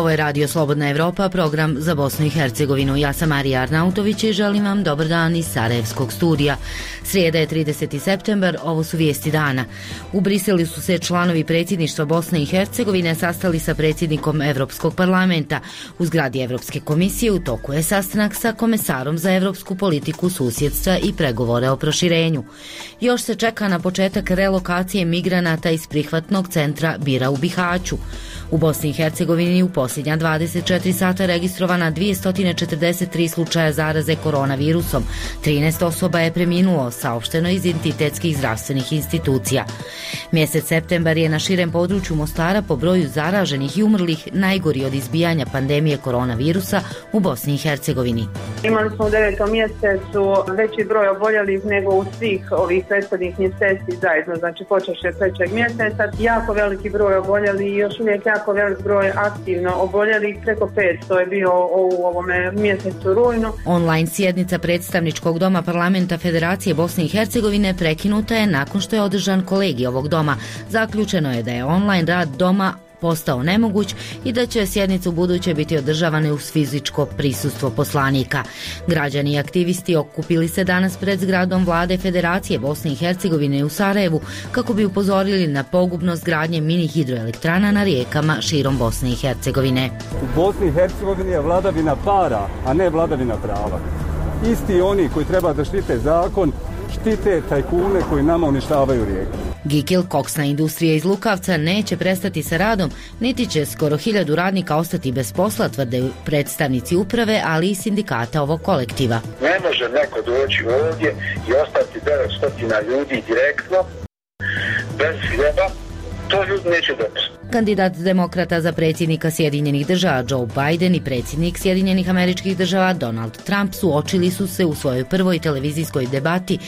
Ovo je Radio Slobodna Evropa, program za Bosnu i Hercegovinu. Ja sam Marija Arnautović i želim vam dobar dan iz Sarajevskog studija. Srijeda je 30. septembar, ovo su vijesti dana. U Briselu su se članovi predsjedništva Bosne i Hercegovine sastali sa predsjednikom Evropskog parlamenta. U zgradi Evropske komisije u toku je sastanak sa komesarom za evropsku politiku, susjedstva i pregovore o proširenju. Još se čeka na početak relokacije migranata iz prihvatnog centra Bira u Bihaću. U Bosni i Hercegovini u posljednja 24 sata registrovana 243 slučaja zaraze koronavirusom. 13 osoba je preminulo, saopšteno iz entitetskih zdravstvenih institucija. Mjesec septembar je na širem području Mostara po broju zaraženih i umrlih najgori od izbijanja pandemije koronavirusa u Bosni i Hercegovini. Imali smo u 9. mjesecu veći broj oboljelih nego u svih ovih prethodnih mjeseci zajedno, znači počevši od 3. mjeseca. Jako veliki broj oboljelih i još uvijek jako velik broj aktivno oboljelih, preko 500 je bio u ovome mjesecu rujnu. Online sjednica predstavničkog doma parlamenta Federacije Bosne i Hercegovine prekinuta je nakon što je održan kolegij ovog doma. Zaključeno je da je online rad doma postao nemoguć i da će sjednice u buduće biti održavane uz fizičko prisustvo poslanika. Građani i aktivisti okupili se danas pred zgradom vlade Federacije Bosne i Hercegovine u Sarajevu kako bi upozorili na pogubnost gradnje mini hidroelektrana na rijekama širom Bosne i Hercegovine. U Bosni i Hercegovini je vladavina para, a ne vladavina prava. Isti oni koji treba da štite zakon, štite tajkune koji nama uništavaju rijeku. Gikil, koksna industrija iz Lukavca, neće prestati sa radom, niti će skoro 1000 radnika ostati bez posla, tvrde predstavnici uprave, ali i sindikata ovog kolektiva. Ne može neko doći ovdje i ostati 900 ljudi direktno, bez hljeba, to ljudi neće dobiti. Kandidat demokrata za predsjednika Sjedinjenih država Joe Biden i predsjednik Sjedinjenih Američkih država Donald Trump suočili su se u svojoj prvoj televizijskoj debati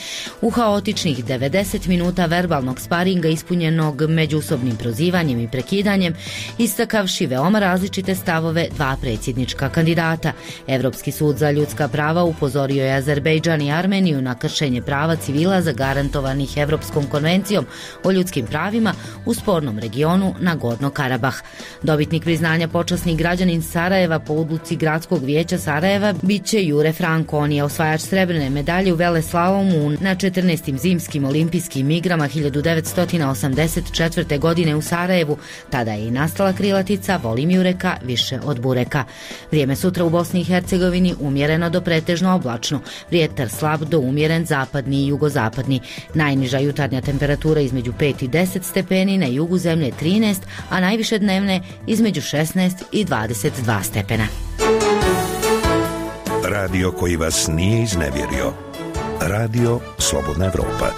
u haotičnih 90 minuta verbalnog sparinga ispunjenog međusobnim prozivanjem i prekidanjem, istakavši veoma različite stavove dva predsjednička kandidata. Evropski sud za ljudska prava upozorio je Azerbejdžan i Armeniju na kršenje prava civila zagarantovanih Evropskom konvencijom o ljudskim pravima u spornom regionu Nagorno Karabah. Dobitnik priznanja počasni građanin Sarajeva po odluci Gradskog vijeća Sarajeva bit će Jure Franko. On je osvajač srebrne medalje u veleslalomu na 14. zimskim olimpijskim igrama 1984. godine u Sarajevu. Tada je i nastala krilatica volim Jureka više od bureka. Vrijeme sutra u Bosni i Hercegovini umjereno do pretežno oblačno. Vjetar slab do umjeren zapadni i jugozapadni. Najniža jutarnja temperatura između 5 i 10 stepeni, na jugu zemlje 13, a najviše dnevne između 16 i 22 stepena. Radio koji vas nije iznevjerio. Radio Slobodna Evropa.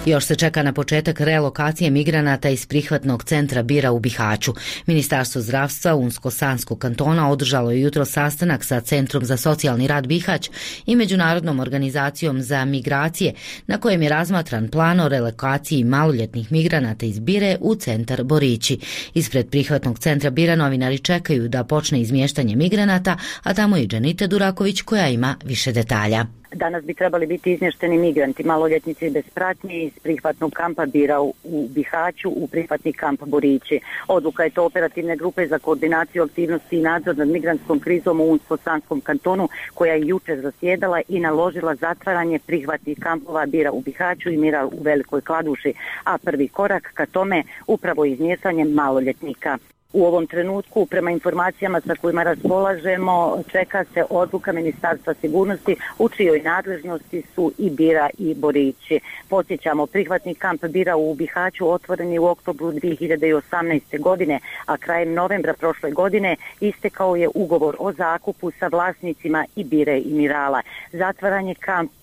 Još se čeka na početak relokacije migranata iz prihvatnog centra Bira u Bihaću. Ministarstvo zdravstva Unsko-Sanskog kantona održalo je jutro sastanak sa Centrom za socijalni rad Bihać i Međunarodnom organizacijom za migracije, na kojem je razmatran plan o relokaciji maloljetnih migranata iz Bire u centar Borići. Ispred prihvatnog centra Bira novinari čekaju da počne izmještanje migranata, a tamo je Dženita Duraković koja ima više detalja. Danas bi trebali biti izmješteni migranti, maloljetnici bez pratnje iz prihvatnog kampa Bira u Bihaću u prihvatni kamp Borići. Odluka je to operativne grupe za koordinaciju aktivnosti i nadzor nad migrantskom krizom u Unsko-Sanskom kantonu, koja je jučer zasjedala i naložila zatvaranje prihvatnih kampova Bira u Bihaću i Mira u Velikoj Kladuši, a prvi korak ka tome upravo izmještanje maloljetnika. U ovom trenutku, prema informacijama sa kojima raspolažemo, čeka se odluka Ministarstva sigurnosti u čijoj nadležnosti su i Bira i Borići. Podsjećamo, prihvatni kamp Bira u Bihaću otvoren je u oktobru 2018. godine, a krajem novembra prošle godine istekao je ugovor o zakupu sa vlasnicima i Bire i Mirala. Zatvaranje kampa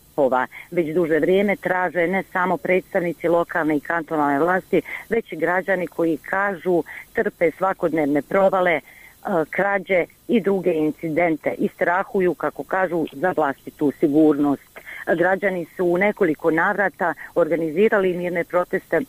već duže vrijeme traže ne samo predstavnici lokalne i kantonalne vlasti, već i građani koji kažu trpe svakodnevne provale, krađe i druge incidente i strahuju, kako kažu, za vlastitu sigurnost. Građani su u nekoliko navrata organizirali mirne proteste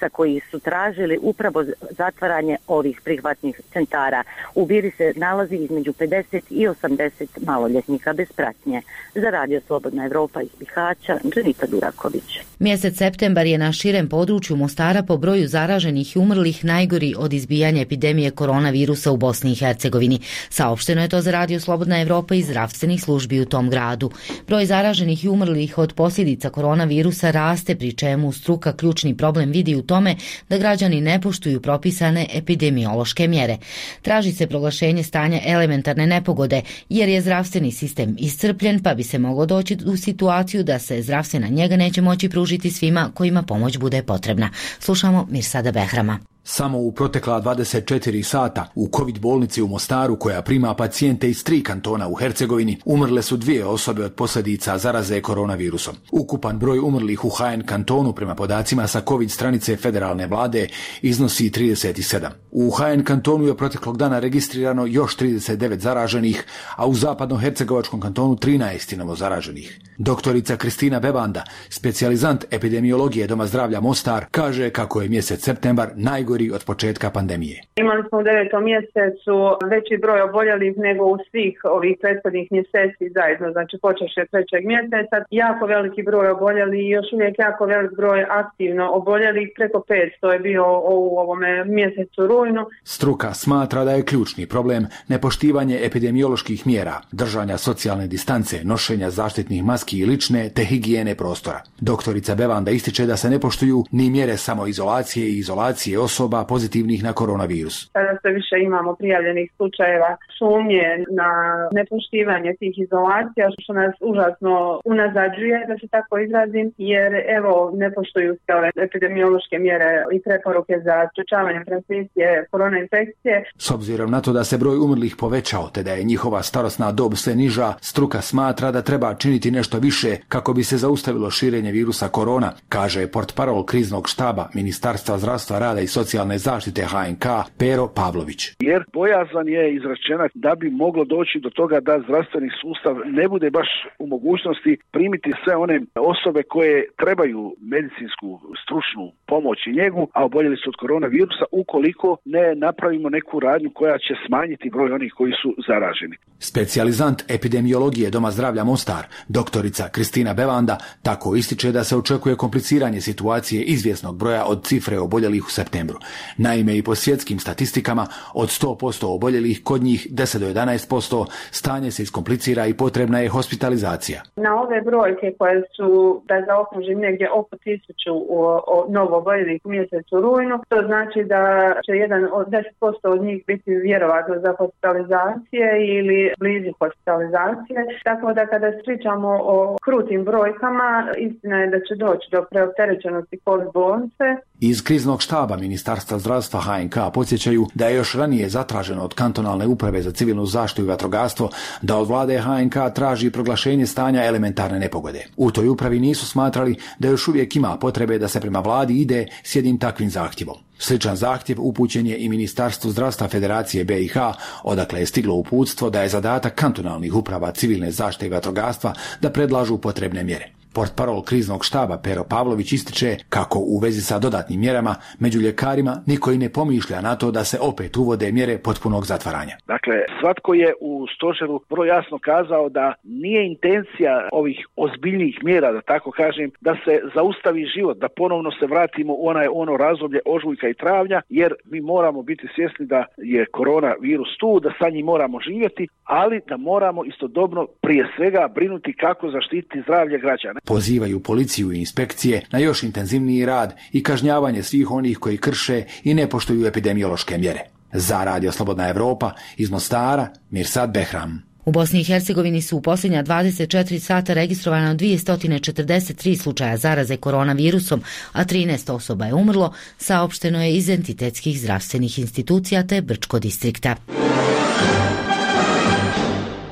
koji su tražili upravo zatvaranje ovih prihvatnih centara. U Biri se nalazi između 50 i 80 maloljetnika bez pratnje. Za Radio Slobodna Evropa iz Bihaća, Dženita Duraković. Mjesec septembar je na širem području Mostara po broju zaraženih i umrlih najgori od izbijanja epidemije koronavirusa u Bosni i Hercegovini. Saopšteno je to za Radio Slobodna Evropa iz zdravstvenih službi u tom gradu. Broj zaraženih i umrlih od posljedica koronavirusa raste, pri čemu struka ključni problem vidi u tome da građani ne poštuju propisane epidemiološke mjere. Traži se proglašenje stanja elementarne nepogode jer je zdravstveni sistem iscrpljen, pa bi se moglo doći u situaciju da se zdravstvena njega neće moći pružiti svima kojima pomoć bude potrebna. Slušamo Mirsada Behrama. Samo u protekla 24 sata u COVID bolnici u Mostaru, koja prima pacijente iz 3 kantona u Hercegovini, umrle su 2 osobe od posljedica zaraze koronavirusom. Ukupan broj umrlih u HN kantonu prema podacima sa COVID stranice federalne vlade iznosi 37. U HN kantonu je proteklog dana registrirano još 39 zaraženih, a u zapadno-hercegovačkom kantonu 13 novo zaraženih. Doktorica Kristina Bebanda, specijalizant epidemiologije Doma zdravlja Mostar, kaže kako je mjesec septembar najgori od početka pandemije. Imali smo u 9. mjesecu veći broj oboljelih nego u svih ovih prethodnih mjeseci zajedno, znači počevši od 3. mjeseca. Jako veliki broj oboljelih i još uvijek jako velik broj aktivno oboljelih, preko 500 je bio u ovome mjesecu rujnu. Struka smatra da je ključni problem nepoštivanje epidemioloških mjera, držanja socijalne distance, nošenja zaštitnih maski i lične te higijene prostora. Doktorica Bevanda ističe da se ne poštuju ni mjere samoizolacije i izolacije osoba pozitivnih na koronavirus. Sada sve više imamo prijavljenih slučajeva sumnje na nepoštivanje tih izolacija, što nas užasno unazađuje, da se tako izrazim, jer evo ne poštuju se ove epidemiološke mjere i preporuke za sprečavanje transmisije korona infekcije. S obzirom na to da se broj umrlih povećao te da je njihova starosna dob sve niža, struka smatra da treba činiti nešto više kako bi se zaustavilo širenje virusa korona, kaže portparol kriznog štaba Ministarstva zdravstva, rada i socijalne zaštite HNK Pero Pavlović. Jer bojazan je izrečena da bi moglo doći do toga da zdravstveni sustav ne bude baš u mogućnosti primiti sve one osobe koje trebaju medicinsku stručnu pomoć i njegu, a oboljeli su od koronavirusa, ukoliko ne napravimo neku radnju koja će smanjiti broj onih koji su zaraženi. Specijalizant epidemiologije Doma zdravlja Mostar, doktorica Kristina Bevanda, tako ističe da se očekuje kompliciranje situacije izvjesnog broja od cifre oboljelih u septembru. Naime, i po svjetskim statistikama, od 100% oboljelih, kod njih 10 do 11%, stanje se iskomplicira i potrebna je hospitalizacija. Na ove brojke koje su, da zaokružim, negdje oko 1000 novo oboljelih u mjesecu rujnu, to znači da će 10% od njih biti vjerovatno za hospitalizacije ili blizu hospitalizacije. Tako da kada pričamo o krutim brojkama, istina je da će doći do preopterećenosti COVID bolnice. Iz kriznog štaba Ministarstva zdravstva HNK podsjećaju da je još ranije zatraženo od kantonalne uprave za civilnu zaštitu i vatrogastvo da od vlade HNK traži proglašenje stanja elementarne nepogode. U toj upravi nisu smatrali da još uvijek ima potrebe da se prema vladi ide s jednim takvim zahtjevom. Sličan zahtjev upućen je i Ministarstvu zdravstva Federacije BiH, odakle je stiglo uputstvo da je zadatak kantonalnih uprava civilne zaštite i vatrogastva da predlažu potrebne mjere. Portparol kriznog štaba Pero Pavlović ističe kako u vezi sa dodatnim mjerama među ljekarima niko i ne pomišlja na to da se opet uvode mjere potpunog zatvaranja. Dakle, svatko je u stožeru vrlo jasno kazao da nije intencija ovih ozbiljnijih mjera, da tako kažem, da se zaustavi život, da ponovno se vratimo u ono razdoblje ožujka i travnja, jer mi moramo biti svjesni da je koronavirus tu, da sa njim moramo živjeti, ali da moramo istodobno prije svega brinuti kako zaštititi zdravlje građana. Pozivaju policiju i inspekcije na još intenzivniji rad i kažnjavanje svih onih koji krše i ne poštuju epidemiološke mjere. Za Radio Slobodna Evropa iz Mostara, Mirsad Behram. U Bosni i Hercegovini su u posljednja 24 sata registrovano 243 slučaja zaraze koronavirusom, a 13 osoba je umrlo, saopšteno je iz entitetskih zdravstvenih institucija te Brčko distrikta.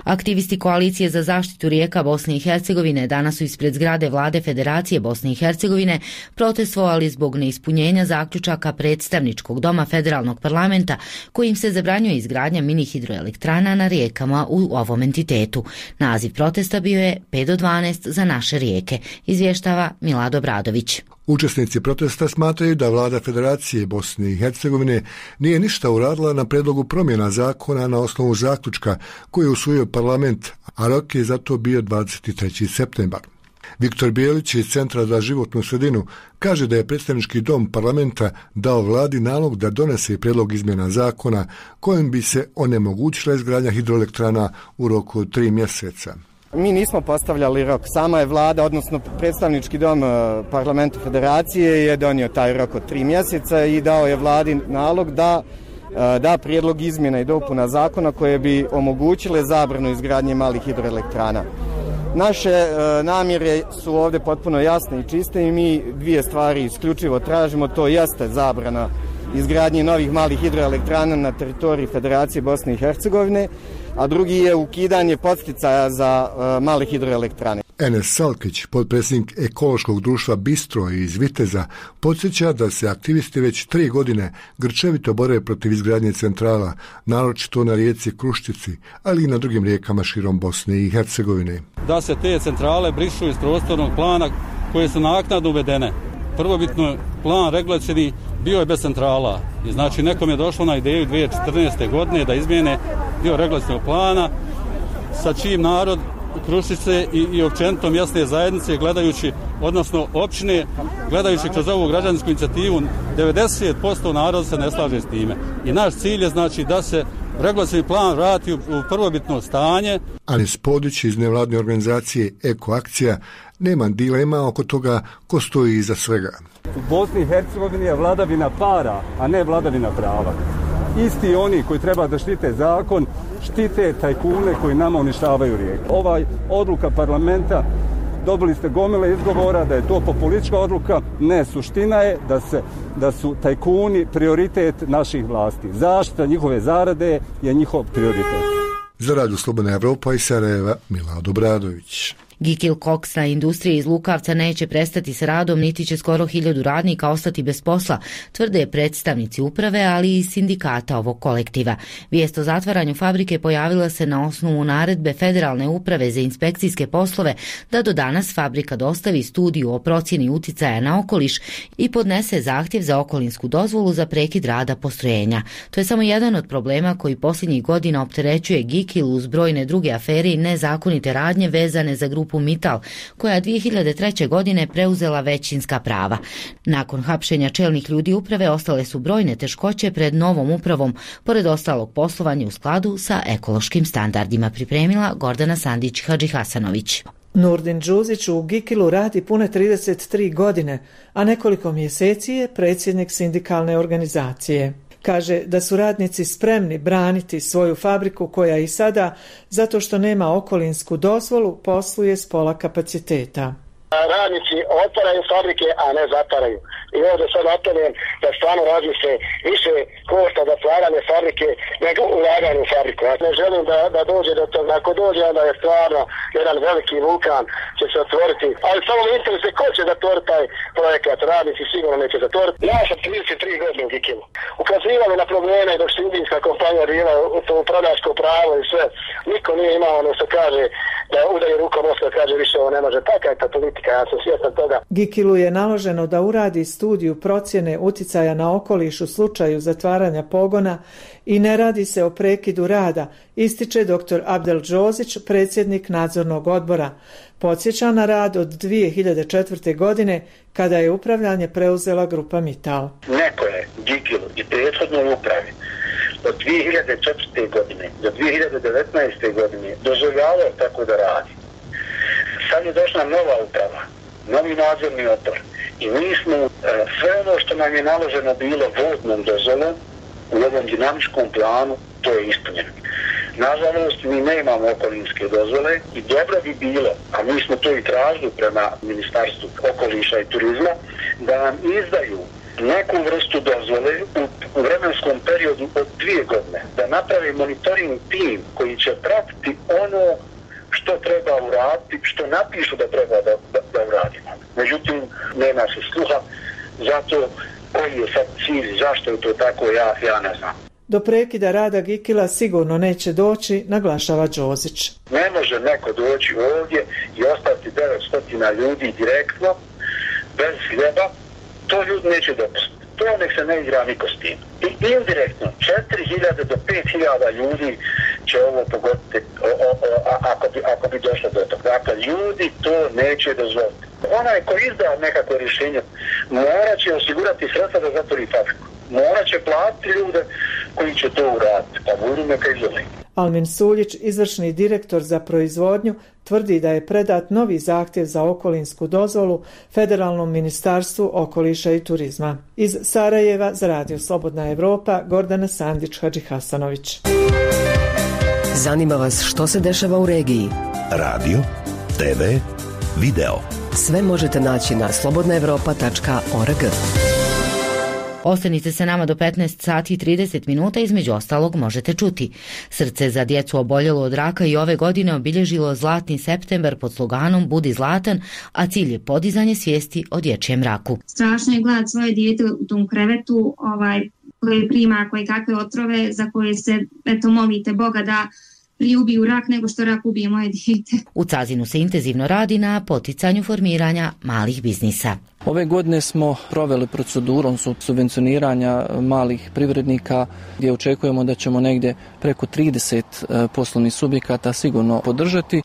Aktivisti Koalicije za zaštitu rijeka Bosne i Hercegovine danas su ispred zgrade Vlade Federacije Bosne i Hercegovine protestovali zbog neispunjenja zaključaka predstavničkog doma federalnog parlamenta kojim se zabranjuje izgradnja mini hidroelektrana na rijekama u ovom entitetu. Naziv protesta bio je 5 do 12 za naše rijeke, izvještava Milado Bradović. Učesnici protesta smatraju da vlada Federacije Bosne i Hercegovine nije ništa uradila na predlogu promjena zakona na osnovu zaključka koji je usvojio parlament, a rok je zato bio 23. septembar. Viktor Bijelić iz Centra za životnu sredinu kaže da je predstavnički dom parlamenta dao vladi nalog da donese prijedlog izmjena zakona kojim bi se onemogućila izgradnja hidroelektrana u roku od 3 mjeseca. Mi nismo postavljali rok, sama je vlada, odnosno predstavnički dom parlamenta Federacije je donio taj rok od 3 mjeseca i dao je vladi nalog da prijedlog izmjena i dopuna zakona koje bi omogućile zabranu izgradnje malih hidroelektrana. Naše namjere su ovdje potpuno jasne i čiste i mi dvije stvari isključivo tražimo, to jeste zabrana izgradnje novih malih hidroelektrana na teritoriji Federacije Bosne i Hercegovine, a drugi je ukidanje podsticaja za male hidroelektrane. Enes Salkić, potpredsjednik ekološkog društva Bistro iz Viteza, podsjeća da se aktivisti već 3 godine grčevito bore protiv izgradnje centrala, naročito na rijeci Kruščici, ali i na drugim rijekama širom Bosne i Hercegovine. Da se te centrale brišu iz prostornog plana koje su naknadno uvedene. Prvobitno plan regulacijni bio je bez centrala. I znači nekom je došlo na ideju 2014. godine da izmijene dio regulacijnog plana sa čim narod Kruščice i općenito mjesne zajednice gledajući, odnosno općine, gledajući kroz ovu građansku inicijativu, 90% naroda se ne slaže s time. I naš cilj je znači da se regulacijni plan vrati u prvobitno stanje. Ali Spodić iz nevladne organizacije Eko Akcija nema dilema oko toga ko stoji iza svega. U Bosni i Hercegovini je vladavina para, a ne vladavina prava. Isti oni koji treba da štite zakon, štite tajkune koji nama uništavaju rijeku. Ovaj odluka parlamenta, dobili ste gomile izgovora da je to populistička odluka. Ne, suština je da su tajkuni prioritet naših vlasti. Zaštita njihove zarade je njihov prioritet. Za Radio Slobodna Evropa iz Sarajeva, Milad Obradović. Gikil koksna industrija iz Lukavca neće prestati sa radom, niti će skoro 1000 radnika ostati bez posla, tvrde predstavnici uprave, ali i sindikata ovog kolektiva. Vijest o zatvaranju fabrike pojavila se na osnovu naredbe Federalne uprave za inspekcijske poslove da do danas fabrika dostavi studiju o procjeni uticaja na okoliš i podnese zahtjev za okolinsku dozvolu za prekid rada postrojenja. To je samo jedan od problema koji posljednjih godina opterećuje Gikil uz brojne druge afere i nezakonite radnje vezane za grupu Mittal, koja 2003. godine preuzela većinska prava. Nakon hapšenja čelnih ljudi uprave ostale su brojne teškoće pred novom upravom, pored ostalog poslovanja u skladu sa ekološkim standardima, pripremila Gordana Sandić-Hadžihasanović. Nurdin Đuzić u Gikilu radi pune 33 godine, a nekoliko mjeseci je predsjednik sindikalne organizacije. Kaže da su radnici spremni braniti svoju fabriku koja i sada, zato što nema okolinsku dozvolu, posluje s pola kapaciteta. Radnici otvaraju fabrike, a ne zatvaraju. I ovdje sad apelujem da stvarno razmisle više košta zatvaranje fabrike nego ulaganje u fabriku. Ja ne želim da dođe do toga. Ako dođe, onda je stvarno jedan veliki vulkan će se otvoriti. Ali samo me interesuje ko će zatvoriti taj projekat. Radnici sigurno neće zatvoriti. Ja sam 33 godine u Gikilu. Ukazivali na probleme dok se indijska kompanija bila to upravljačko pravo i sve. Niko nije imao ono što kaže da udari rukom oska, kaže više ovo ne može. Taka je ta politika, ja sam svjestan toga. Gikilu je naloženo da uradi studiju procjene uticaja na okoliš u slučaju zatvaranja pogona i ne radi se o prekidu rada, ističe dr. Abdel Đozić, predsjednik nadzornog odbora. Podsjeća na rad od 2004. godine kada je upravljanje preuzela grupa Mittal. Neko je Gikilu i prethodnoj upravi od 2004. godine do 2019. godine dozvoljavao tako da radi. Sad je došla nova uprava, novi nadzorni odbor i mi smo sve ono što nam je naloženo bilo vodnom dozvolom u ovom dinamičkom planu, to je ispunjeno. Nažalost, mi ne imamo okolinske dozvole i dobro bi bilo, a mi smo to i tražili prema Ministarstvu okoliša i turizma, da nam izdaju neku vrstu dozvole u vremenskom periodu od 2 godine, da napravi monitoring tim koji će pratiti ono što treba uraditi, što napišu da treba da uradimo. Međutim, nema se sluha, zato koji je sad cilj, zašto je to tako, ja ne znam. Do prekida rada Gikila sigurno neće doći, naglašava Đozić. Ne može neko doći ovdje i ostati 900 ljudi direktno bez hljeba, to ljudi neće dopustiti. To nek se ne igra niko s tim. I indirektno 4.000 do 5.000 ljudi će ovo pogoditi ako bi došlo do toga. Dakle, ljudi to neće dozvoliti. Onaj ko izda nekako rješenje morat će osigurati sredstva da zatvori fabriku. Morat će platiti ljude koji će to uraditi. Pa budu neka izvoli. Almin Suljić, izvršni direktor za proizvodnju, tvrdi da je predat novi zahtjev za okolinsku dozvolu Federalnom ministarstvu okoliša i turizma. Iz Sarajeva za Radio Slobodna Evropa, Gordana Sandić-Hadžihasanović. Zanima vas što se dešava u regiji? Radio, TV, video. Sve možete naći na slobodnaevropa.org. Ostanite sa nama do 15 sati i 30 minuta, između ostalog možete čuti. Srce za djecu oboljelo od raka i ove godine obilježilo Zlatni septembar pod sloganom Budi zlatan, a cilj je podizanje svijesti o dječjem raku. Strašno je gledati svoje dijete u tom krevetu koje prima koje kakve otrove za koje se molite Boga da prije ubiju rak nego što rak ubije moje dijete. U Cazinu se intenzivno radi na poticanju formiranja malih biznisa. Ove godine smo proveli procedurom subvencioniranja malih privrednika gdje očekujemo da ćemo negdje preko 30 poslovnih subjekata sigurno podržati.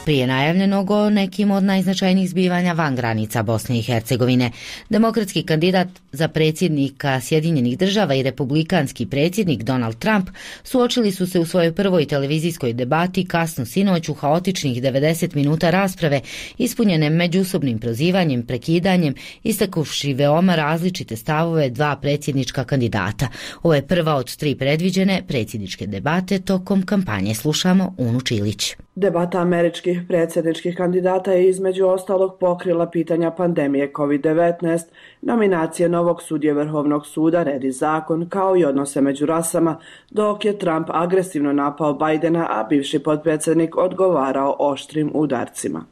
Prije najavljenog o nekim od najznačajnijih zbivanja van granica Bosne i Hercegovine, demokratski kandidat za predsjednika Sjedinjenih država i republikanski predsjednik Donald Trump suočili su se u svojoj prvoj televizijskoj debati kasno sinoć u haotičnih 90 minuta rasprave ispunjene međusobnim prozivanjem, prekidanjem, istakuvši veoma različite stavove dva predsjednička kandidata. Ovo je prva od 3 predviđene predsjedničke debate tokom kampanje. Slušamo Unu Čilić. Debata američkih predsjedničkih kandidata je između ostalog pokrila pitanja pandemije COVID-19, nominacije novog sudije Vrhovnog suda, red i zakon, kao i odnose među rasama, dok je Trump agresivno napao Bidena, a bivši potpredsjednik odgovarao oštrim udarcima.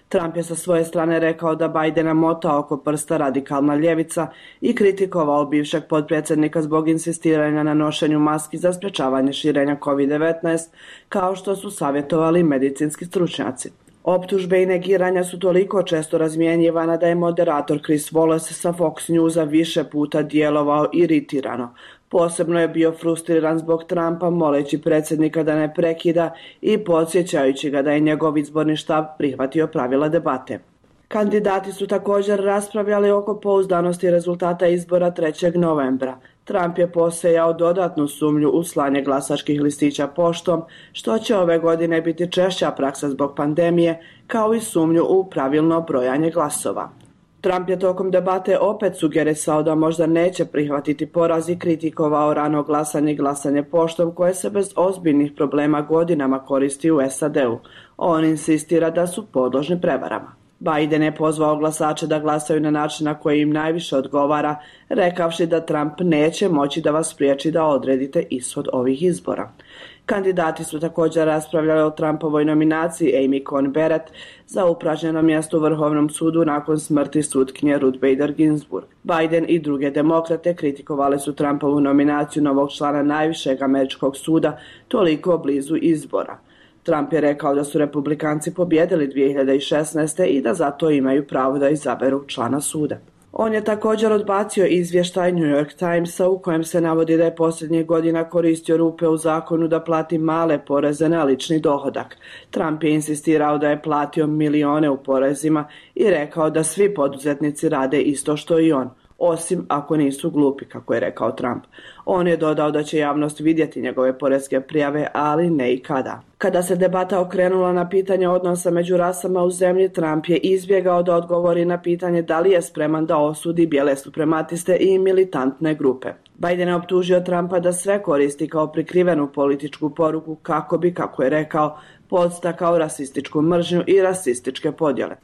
Trump je sa svoje strane rekao da Bidena mota oko prsta radikalna ljevica i kritikovao bivšeg potpredsjednika zbog insistiranja na nošenju maski za sprečavanje širenja COVID-19, kao što su savjetovali medicinski stručnjaci. Optužbe i negiranja su toliko često razmjenjivana da je moderator Chris Wallace sa Fox Newsa više puta djelovao iritirano. Posebno je bio frustriran zbog Trumpa, moleći predsjednika da ne prekida i podsjećajući ga da je njegov izborni štab prihvatio pravila debate. Kandidati su također raspravljali oko pouzdanosti rezultata izbora 3. novembra. Trump je posejao dodatnu sumnju u slanje glasačkih listića poštom, što će ove godine biti češća praksa zbog pandemije, kao i sumnju u pravilno brojanje glasova. Trump je tokom debate opet sugerisao da možda neće prihvatiti poraz i kritikovao rano glasanje i glasanje poštom koje se bez ozbiljnih problema godinama koristi u SAD-u. On insistira da su podložni prevarama. Biden je pozvao glasače da glasaju na način na koji im najviše odgovara, rekavši da Trump neće moći da vas spriječi da odredite ishod ovih izbora. Kandidati su također raspravljali o Trumpovoj nominaciji Amy Coney Barrett za upražnjeno mjesto u Vrhovnom sudu nakon smrti sutkinje Ruth Bader Ginsburg. Biden i druge demokrate kritikovali su Trumpovu nominaciju novog člana najvišeg američkog suda toliko blizu izbora. Trump je rekao da su republikanci pobjedili 2016. i da zato imaju pravo da izaberu člana suda. On je također odbacio izvještaj New York Timesa u kojem se navodi da je posljednjih godina koristio rupe u zakonu da plati male poreze na lični dohodak. Trump je insistirao da je platio milione u porezima i rekao da svi poduzetnici rade isto što i on, osim ako nisu glupi, kako je rekao Trump. On je dodao da će javnost vidjeti njegove poreske prijave, ali ne i kada. Kada se debata okrenula na pitanje odnosa među rasama u zemlji, Trump je izbjegao da odgovori na pitanje da li je spreman da osudi bijele suprematiste i militantne grupe. Biden je optužio Trumpa da sve koristi kao prikrivenu političku poruku kako bi, kako je rekao, podstakao rasističku mržnju i rasističke podjele.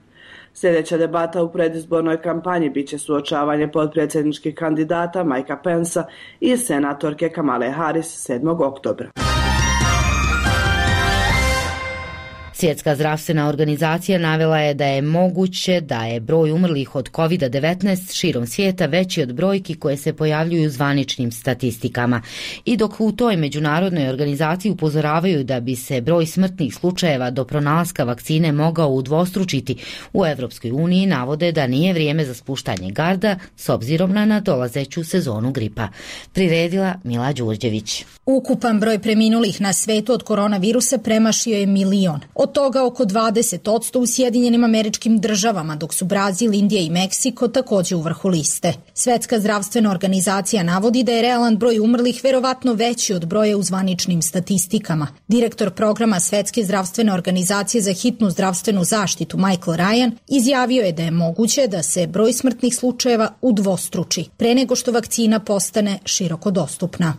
Sljedeća debata u predizbornoj kampanji bit će suočavanje potpredsjedničkih kandidata Mikea Pensa i senatorke Kamale Harris 7. oktobra. Svjetska zdravstvena organizacija navela je da je moguće da je broj umrlih od COVID-19 širom svijeta veći od brojki koje se pojavljuju u zvaničnim statistikama. I dok u toj međunarodnoj organizaciji upozoravaju da bi se broj smrtnih slučajeva do pronalaska vakcine mogao udvostručiti, u Evropskoj uniji navode da nije vrijeme za spuštanje garda s obzirom na nadolazeću sezonu gripa. Priredila Mila Đurđević. Ukupan broj preminulih na svetu od koronavirusa premašio je 1 milion. Od toga oko 20% u Sjedinjenim Američkim Državama, dok su Brazil, Indija i Meksiko također u vrhu liste. Svetska zdravstvena organizacija navodi da je realan broj umrlih verovatno veći od broja u zvaničnim statistikama. Direktor programa Svetske zdravstvene organizacije za hitnu zdravstvenu zaštitu Michael Ryan izjavio je da je moguće da se broj smrtnih slučajeva udvostruči pre nego što vakcina postane široko dostupna.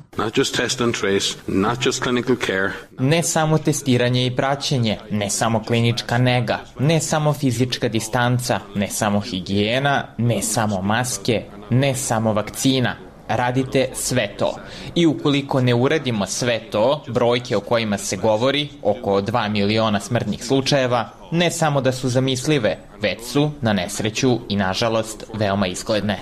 Ne samo testiranje i praćenje, ne samo klinička nega, ne samo fizička distanca, ne samo higijena, ne samo maske, ne samo vakcina. Radite sve to. I ukoliko ne uradimo sve to, brojke o kojima se govori, oko 2 miliona smrtnih slučajeva, ne samo da su zamislive, već su, na nesreću i nažalost, veoma izgledne.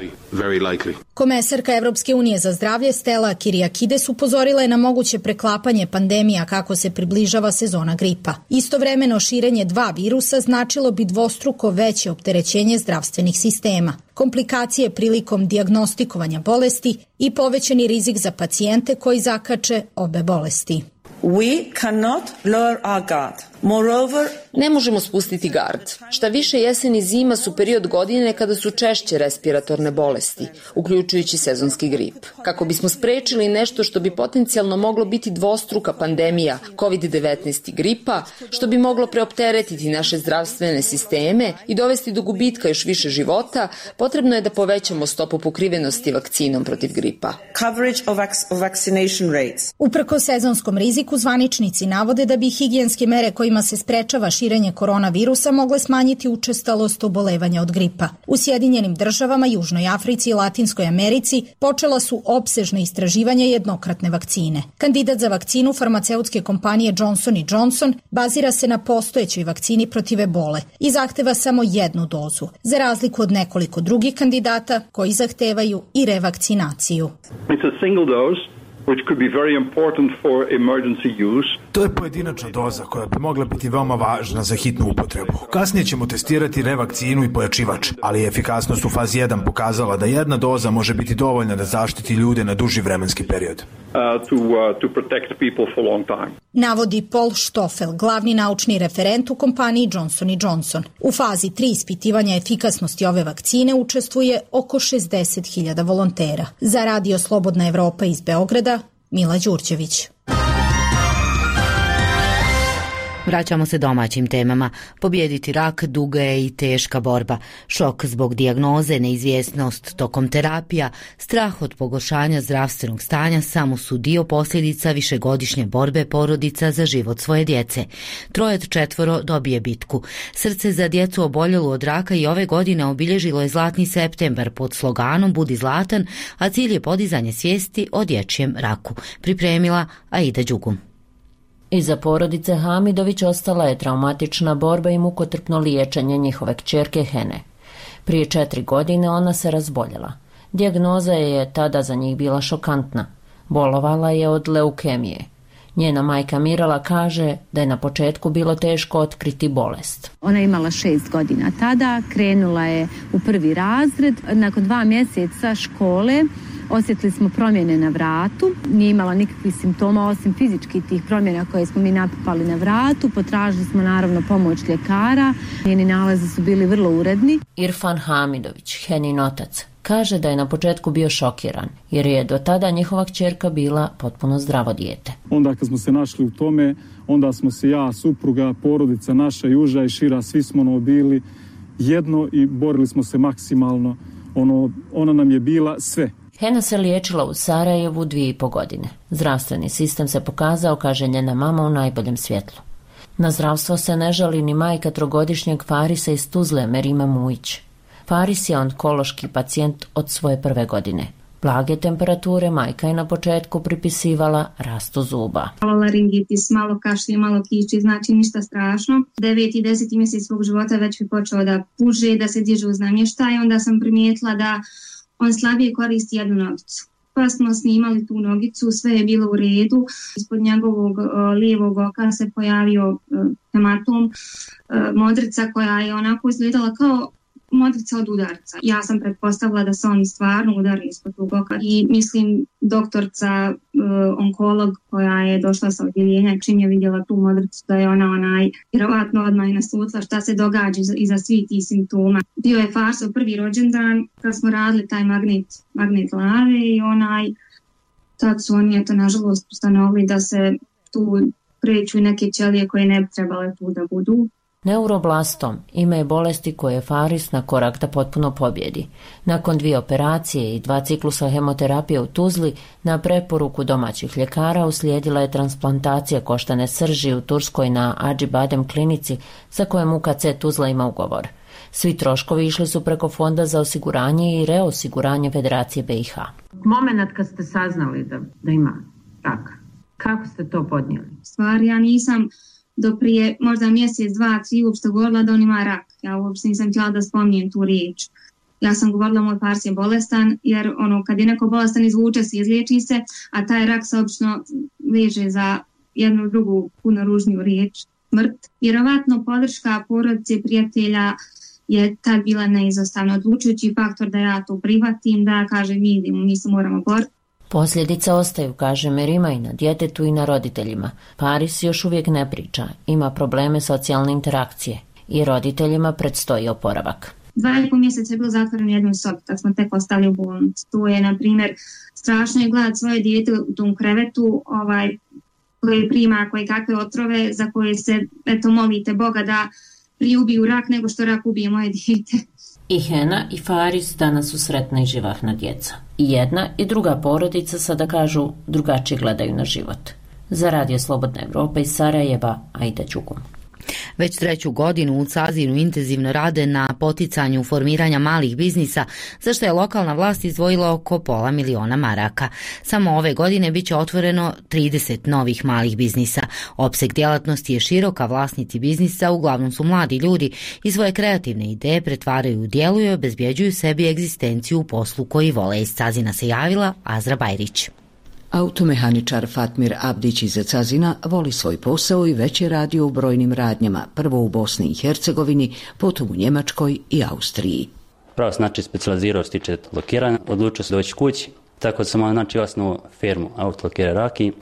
Komesarka Evropske unije za zdravlje Stella Kyriakides upozorila je na moguće preklapanje pandemija kako se približava sezona gripa. Istovremeno širenje 2 virusa značilo bi dvostruko veće opterećenje zdravstvenih sistema, komplikacije prilikom dijagnostikovanja bolesti i povećani rizik za pacijente koji zakače obe bolesti. We cannot lower our guard. Moreover, ne možemo spustiti gard. Šta više, jesen i zima su period godine kada su češće respiratorne bolesti, uključujući sezonski grip. Kako bismo sprečili nešto što bi potencijalno moglo biti dvostruka pandemija COVID-19 i gripa, što bi moglo preopteretiti naše zdravstvene sisteme i dovesti do gubitka još više života, potrebno je da povećamo stopu pokrivenosti vakcinom protiv gripa. Coverage of vaccination rates. Uprkos sezonskom riziku, zvaničnici navode da bi higijenske mere kojima se sprečava širenje koronavirusa mogle smanjiti učestalost obolevanja od gripa. U Sjedinjenim Državama, Južnoj Africi i Latinskoj Americi počela su opsežna istraživanja jednokratne vakcine. Kandidat za vakcinu farmaceutske kompanije Johnson & Johnson bazira se na postojećoj vakcini protiv ebole i zahteva samo 1 dozu, za razliku od nekoliko drugih kandidata koji zahtevaju i revakcinaciju. It's a single dose, which could be very important for emergency use. To je pojedinačna doza koja bi mogla biti veoma važna za hitnu upotrebu. Kasnije ćemo testirati revakcinu i pojačivač, ali je efikasnost u fazi 1 pokazala da 1 doza može biti dovoljna da zaštiti ljude na duži vremenski period. To protect people for long time. Navodi Paul Stoffel, glavni naučni referent u kompaniji Johnson & Johnson. U fazi 3 ispitivanja efikasnosti ove vakcine učestvuje oko 60.000 volontera. Za Radio Slobodna Evropa iz Beograda, Mila Đurđević. Vraćamo se domaćim temama. Pobijediti rak duga je i teška borba. Šok zbog dijagnoze, neizvjesnost tokom terapija, strah od pogoršanja zdravstvenog stanja samo su dio posljedica višegodišnje borbe porodica za život svoje djece. 3 od 4 dobije bitku. Srce za djecu oboljelu od raka i ove godine obilježilo je Zlatni septembar pod sloganom Budi zlatan, a cilj je podizanje svijesti o dječjem raku. Pripremila Aida Đugum. Iza porodice Hamidović ostala je traumatična borba i mukotrpno liječenje njihove kćerke Hene. Prije 4 godine ona se razboljela. Dijagnoza je tada za njih bila šokantna. Bolovala je od leukemije. Njena majka Mirala kaže da je na početku bilo teško otkriti bolest. Ona je imala 6 godina tada, krenula je u 1. razred. Nakon 2 mjeseca škole osjetili smo promjene na vratu, nije imala nikakvih simptoma osim fizičkih tih promjena koje smo mi napipali na vratu, potražili smo naravno pomoć ljekara, njeni nalazi su bili vrlo uredni. Irfan Hamidović, Henin otac, kaže da je na početku bio šokiran, jer je do tada njihova kćerka bila potpuno zdravo dijete. Onda kad smo se našli u tome, onda smo se ja, supruga, porodica naša i uža i šira, svi smo bili jedno i borili smo se maksimalno. Ona nam je bila sve. Hena se liječila u Sarajevu 2,5 godine. Zdravstveni sistem se pokazao, kaže njena mama, u najboljem svjetlu. Na zdravstvo se ne žali ni majka 3-godišnjeg Farisa iz Tuzle, Merima Mujić. Faris je onkološki pacijent od svoje 1. godine. Blage temperature majka je na početku pripisivala rastu zuba. Malo laringitis, malo kašlje, malo kiči, znači ništa strašno. 9. i 10. mjesec svog života već bi počeo da puže, da se diže uz namještaj. Onda sam primijetila da on slabije koristi jednu nogicu. Pa smo snimali tu nogicu, sve je bilo u redu. Ispod njegovog lijevog oka se pojavio hematom, modrica koja je onako izgledala kao modrica od udarca. Ja sam pretpostavila da se on stvarno udari ispod tog oka i mislim doktorca, onkolog koja je došla sa odjeljenja, čim je vidjela tu modricu da je ona vjerovatno odmah i naslutila šta se događa iza svih tih simptoma. Bio je farsov prvi rođendan kad smo radili taj magnet lave i tad su oni nažalost ustanovili da se tu kreću neke ćelije koje ne bi trebale tu da budu. Neuroblastom ime je bolesti koje je Faris na korak da potpuno pobjedi. Nakon 2 operacije i 2 ciklusa hemoterapije u Tuzli, na preporuku domaćih ljekara uslijedila je transplantacija koštane srži u Turskoj na Acıbadem klinici za kojem UKC Tuzla ima ugovor. Svi troškovi išli su preko Fonda za osiguranje i reosiguranje Federacije BiH. Moment kad ste saznali da ima rak, kako ste to podnijeli? Stvari, ja nisam do prije možda mjesec, 2, 3 uopšte govorila da on ima rak. Ja uopšte nisam htjela da spominjem tu riječ. Ja sam govorila moj fars je bolestan, jer kad je neko bolestan izvuče se, izliječi se, a taj rak se obično veže za jednu drugu puno ružniju riječ, smrt. Vjerovatno podrška porodice, prijatelja je tad bila neizostavno odlučujući faktor da ja to prihvatim, da kažem mi se moramo boriti. Posljedice ostaju, kaže Merima, i na djetetu i na roditeljima. Faris još uvijek ne priča, ima probleme socijalne interakcije i roditeljima predstoji oporavak. 2,5 mjeseca je bilo zatvoren u jednoj sobi kad smo tek ostali u bolnici. To je, na primjer, strašno je gledati svoje dijete u tom krevetu koje prima koje kakve otrove za koje se molite Boga da prije ubiju rak nego što rak ubije moje dijete. I Hena i Faris danas su sretna i živahna djeca. I jedna i druga porodica sada kažu drugačije gledaju na život. Za Radio Slobodna Evropa iz Sarajeva, Aida Đugum. Već 3. godinu u Cazinu intenzivno rade na poticanju formiranja malih biznisa, za što je lokalna vlast izdvojila oko $500.000 maraka. Samo ove godine bit će otvoreno 30 novih malih biznisa. Opseg djelatnosti je široka, vlasnici biznisa uglavnom su mladi ljudi i svoje kreativne ideje pretvaraju u djelo i obezbjeđuju sebi egzistenciju u poslu koji vole. Iz Cazina se javila Azra Bajrić. Automehaničar Fatmir Abdić iz Cazina voli svoj posao i već je radio u brojnim radnjama, prvo u Bosni i Hercegovini, potom u Njemačkoj i Austriji. Pravo specijalizirao se tiče lokiranja, odlučio se doći kući, tako da sam osnovao firmu Autolokira Raki.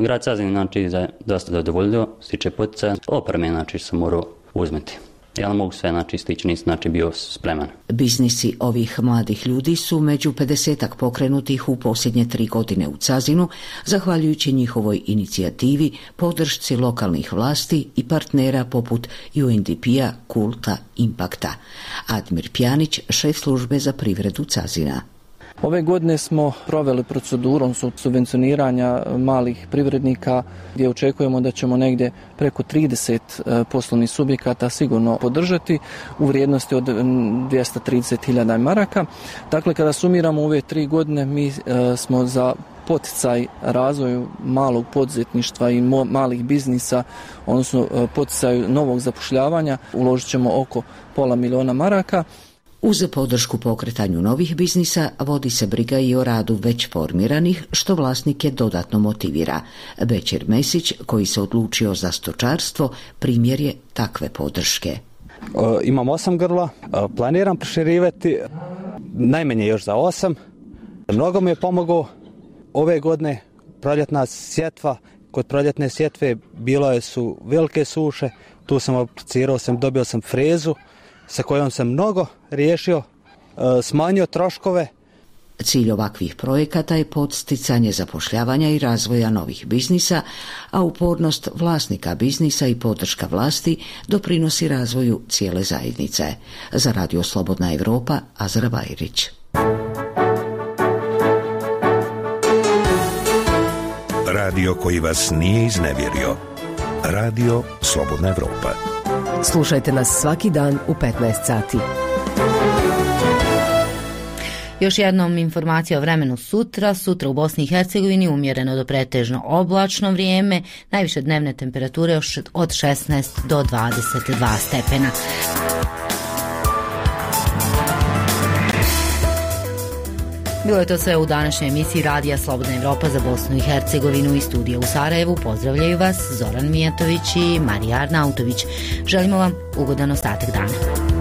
Grad Cazin je dosta zadovoljio, se tiče poticaja, opreme sam morao uzmeti. Ja ne mogu sve stići, nisam bio spreman. Biznisi ovih mladih ljudi su među 50-ak pokrenutih u posljednje 3 godine u Cazinu, zahvaljujući njihovoj inicijativi, podršci lokalnih vlasti i partnera poput UNDP-a, Kulta, Impakta. Admir Pjanić, šef službe za privredu Cazina. Ove godine smo proveli procedurom subvencioniranja malih privrednika gdje očekujemo da ćemo negdje preko 30 poslovnih subjekata sigurno podržati u vrijednosti od 230.000 maraka. Dakle, kada sumiramo ove 3 godine, mi smo za poticaj razvoju malog poduzetništva i malih biznisa, odnosno poticaju novog zapošljavanja, uložit ćemo oko $500.000 maraka. Uz podršku pokretanju novih biznisa vodi se briga i o radu već formiranih, što vlasnike dodatno motivira. Bećir Mesić, koji se odlučio za stočarstvo, primjer je takve podrške. Imam 8 grla, planiram proširivati, najmanje još za 8. Mnogo mi je pomogao ove godine proljetna sjetva. Kod proljetne sjetve bilo su velike suše, tu sam aplicirao, dobio sam frezu sa kojom sam mnogo riješio, smanjio troškove. Cilj ovakvih projekata je podsticanje zapošljavanja i razvoja novih biznisa, a upornost vlasnika biznisa i podrška vlasti doprinosi razvoju cijele zajednice. Za Radio Slobodna Evropa, Azra Bajrić. Radio koji vas nije iznevjerio. Radio Slobodna Evropa. Slušajte nas svaki dan u 15 sati. Još jednom informacija o vremenu sutra. Sutra u Bosni i Hercegovini umjereno do pretežno oblačno vrijeme, najviše dnevne temperature od 16 do 22 stepena. Bilo je to sve u današnjoj emisiji Radija Slobodna Evropa za Bosnu i Hercegovinu. Iz studija u Sarajevu pozdravljaju vas Zoran Mijatović i Marija Arnautović. Želimo vam ugodan ostatak dana.